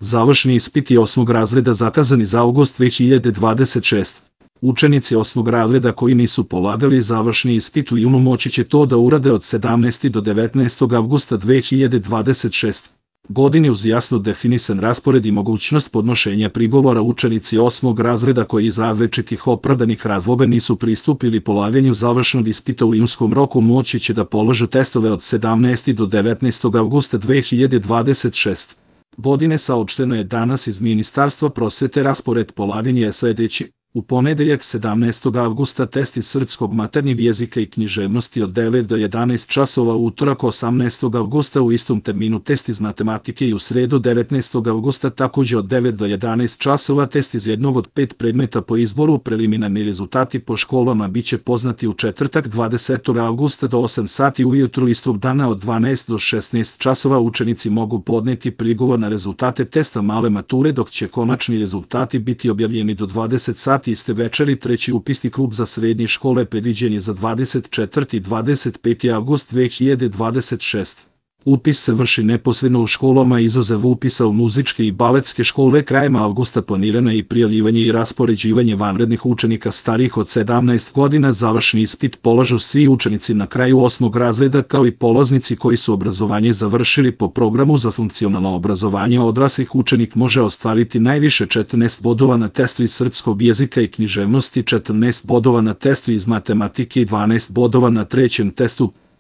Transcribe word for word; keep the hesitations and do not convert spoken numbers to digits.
Završni ispiti osmog razreda zakazani za avgust dve hiljade dvadeset šeste. Učenici osmog razreda koji nisu polagali završni ispit u junu moći će to da urade od sedamnaestog do devetnaestog avgusta dve hiljade dvadeset šeste. godine uz jasno definisan raspored i mogućnost podnošenja prigovora. Učenici osmog razreda koji iz različitih opravdanih razloga nisu pristupili polaganju završnog ispita u junskom roku moći će da polože testove od sedamnaestog do devetnaestog avgusta dve hiljade dvadeset šeste. godine. Saopšteno je danas iz Ministarstva prosvete. Raspored polaganja je sledeći. U ponedeljak sedamnaestog avgusta test iz srpskog maternjeg jezika i književnosti od devet do jedanaest časova, u utorak osamnaestog avgusta u istom terminu test iz matematike i u sredu devetnaestog avgusta takođe od devet do jedanaest časova test iz jednog od pet predmeta po izboru. Preliminarni rezultati po školama biće poznati u četvrtak dvadesetog avgusta do osam sati ujutru istog dana. Od dvanaest do šesnaest časova učenici mogu podneti prigovor na rezultate testa male mature, dok će konačni rezultati biti objavljeni do dvadeset sati iste večeri. Treći upisni klub za srednje škole predviđen je za dvadeset četvrti i dvadeset peti avgust dve hiljade dvadeset šeste. Upis se vrši neposredno u školama, izuzev upisa u muzičke i baletske škole. Krajem avgusta planirano je i prijavljivanje i raspoređivanje vanrednih učenika starijih od sedamnaest godina. Završni ispit polažu svi učenici na kraju osmog razreda, kao i polaznici koji su obrazovanje završili po programu za funkcionalno obrazovanje odraslih. Učenik može ostvariti najviše četrnaest bodova na testu iz srpskog jezika i književnosti, četrnaest bodova na testu iz matematike i dvanaest bodova na trećem testu.